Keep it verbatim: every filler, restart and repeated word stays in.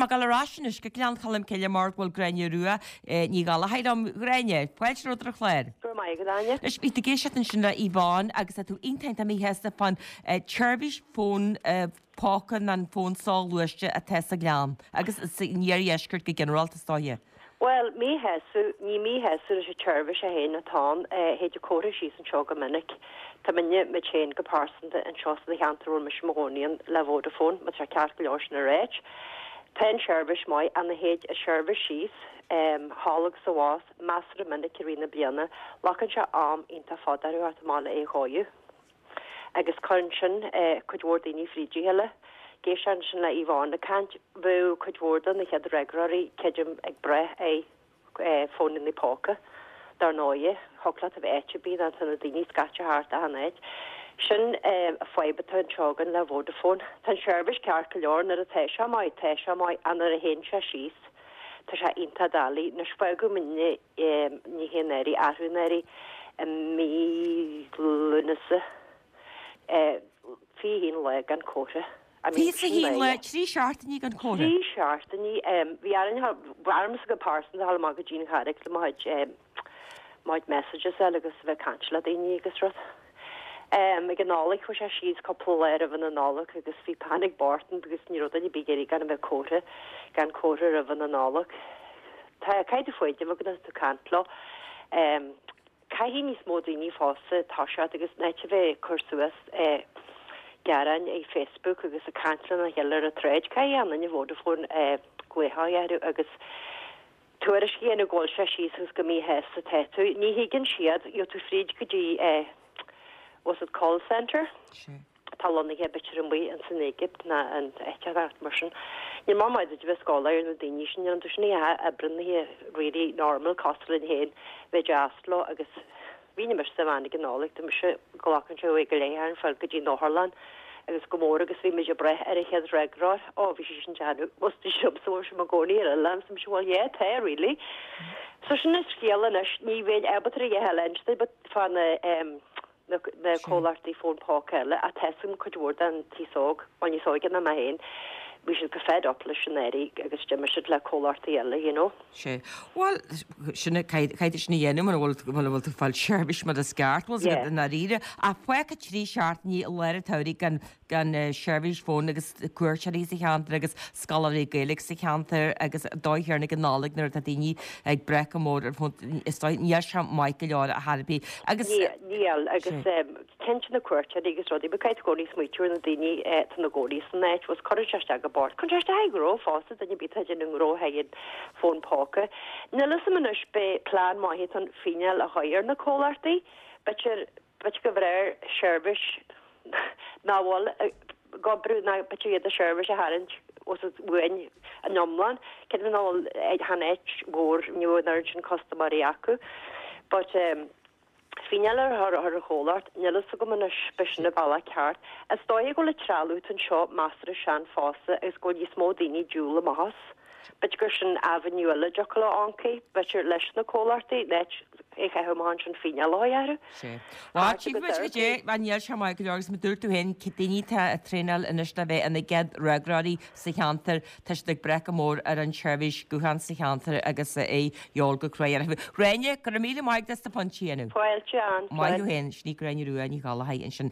mé ag dul ar ais anois go Gleann Cholm Cille mar go bhfuil Gráinne Rua Ní Ghallchóir liom. Gráinne, fáilte romhat ar an chlár. Go raibh maith agat, Áine. Anois, bhí tú ag éisteacht ansin le Yvonne agus tá tú iontach iontach míshásta fán tseirbhís fón póca nó an fón soghluaiste atá sa Ghleann agus san iardheisceart go ginearálta is dóiche. Bhuel, míshásamh, ní míshásamh leis an tseirbhís é féin atá ann, théid an comhartha síos anseo go minic. Tá muidne, muid féin go pearsanta anseo sa cheantar a bhfuil mise i mo chónaí ann le Vodafone, má tá sé ceart go leor sin a ráit. Tá an tseirbhís maith ach nuair a théid an tseirbhís síos, thall agus abhus, measartha minic i rith na bliana, glacann sé am iontach fada orthu theacht amach le é a chóiriú. Agus cuireann sin cuid mhór daoine fríd a chéile. Ag éisteacht ansin le Yvonne ag caint, bheadh cuid mhór de na chéad fhreagróirí, creidim, ag brath ar fónannaí póca. Dar ndóighe, thiocfadh leat a bheith áit ar bith, nó tá na daoine scaite thart achan áit. Sin an fadhb atá anseo againn le Vodafone. Tá an seirbhís ceart go leor nuair atá sé maith, tá sé maith, ach nuair a théann sé síos, tá sé iontach doiligh. Anois fágadh muidne ní hé anuraidh, arú anuraidh, i mí Lúnasa, fiche haon lá gan comhartha. I mean, Fiche haon lá, trí seachtainí gan comhartha. Trí seachtainí. Bhí orainn, ormsa go pearsanta, a dhul amach go dtí an Charraig le mo chuid, mo chuid messages a fháil agus a bheith ag caint le daoine agus rud. Ag an Nollaig chuaigh sé síos cúpla lá roimh an Nollaig agus bhí panic bocht ann because ní raibh duine ar bith ag iarraidh gan a bheith comhartha, gan comhartha roimh an Nollaig. Tá caithfidh tú foighid a bheith agat nuair atá tú ag caint leo. Caithfidh níos mó daoine fosta toiseacht agus in áit a bheith ag cur suas gearáin ar Facebook agus ag caint lena chéile ar an tsráid, caithfidh achan duine Vodafone glaoch a orthu agus tuairisc a dhéanamh go bhfuil sé síos agus go míshásta atá tú. Ní thuigeann siad, gheobhaidh tú fríd go dtí eh what's it call centre? Atá lonnaithe b'fhéidir amuigh ins an Éigipt ná in áit inteacht mar sin. Níl maith maith duit a bheith ag scáileadh ar na daoine sin, níl iontu sin a oibreann really normal cosúil linn féin bheith deas leo agus Bhí mise sa bhean ag an Nollaig, tá mise, glacann sé uair go leith orainn fáil go dtí an otharlann agus go mór agus bhí muid ag brath ar an chéad fhreagróir, ó bhí sí sin déanamh, bhí sí liomsa, bhí sí i mo chónaí ar oileán, so mise bhuel yeah tá really. So sin an scéal anois, ní bheinn ábalta a dhath eile a inse duit fá na em na na comhlachtaí fón póca eile ach tá a fhios agam cuid mhór den t-aos óg, bhuel níos óige ná mé féin, bhí siad go fed up leis an éirí agus d'imigh siad le comhlachtaí eile, you know. Sea. Bhuel, sin é, caithfidh tú sin a dhéanamh mura bhfuil, mura bhfuil tú ag fáil seirbhís mar is ceart, bhfuil 's agat i ndáiríre. Ach fágtha trí seachtainí i lár an tsamhraidh gan, gan seirbhís fóin agus cuairteoirí sa cheantar agus scoláirí Gaeilge sa cheantar agus an dóigh chéanna ag an Nollaig nuair atá daoine ag brath go mór ar fón, is dóigh, níl sé maith go leor ar chor ar bith. Agus. Níl, agus. Cinnte na cuairteoirí agus rudaí, but caithfidh tú i gcónaí smaoitiú ar na daoine atá ina gcónaí san áit, bhfuil 's cuireann sé isteach go bord. Cuireann sé isteach ar ghnó fosta, duine ar bith atá ag déanamh gnó thar an fón póca. Níl fhios a'm anois b'é plean maith atá ann fíneáil a chur ar na comhlachtaí, b'fhéidir, b'fhéidir go bhfearr seirbhís nach bhfuil ag oibriú ná b'fhéidir iad a seirbhís a tharraingt os uainn in iomlán, creidim nach bhfuil chan áit mhór, ní bhfuil an oiread sin custaiméirí acu. But eh. Fíneáil a chur ar an chomhlacht, níl fhios agam anois, b'é sin an bealach ceart. Is dóiche go bhfuil an trealamh atá anseo measartha sean fosta agus go bhfuil níos mó daoine ag diúl amach as. B'fhéidir gur sin avenue eile a dtiocfadh leo amharc, b'fhéidir leis na comhlachtaí, in áit é a chaitheamh amach ansin fíneáil a chur orthu. Sea. Bhuel, tchífidh muid goidé, mar níl sé maith go leor agus mar dúirt tú féin, daoine atá ag traenáil anois le bheith ina gcéad fhreagróirí sa cheantar, Tá siad ag brath go mór ar an tseirbhís gutháin sa cheantar agus é a dhíobháil go cruaidh orthu. Gráinne, go raibh míle maith agat as do phointí a dhéanamh. Fáilte, Ann. Maith thú féin. Sin í Gráinne Rua Ní Ghallchóir ansin.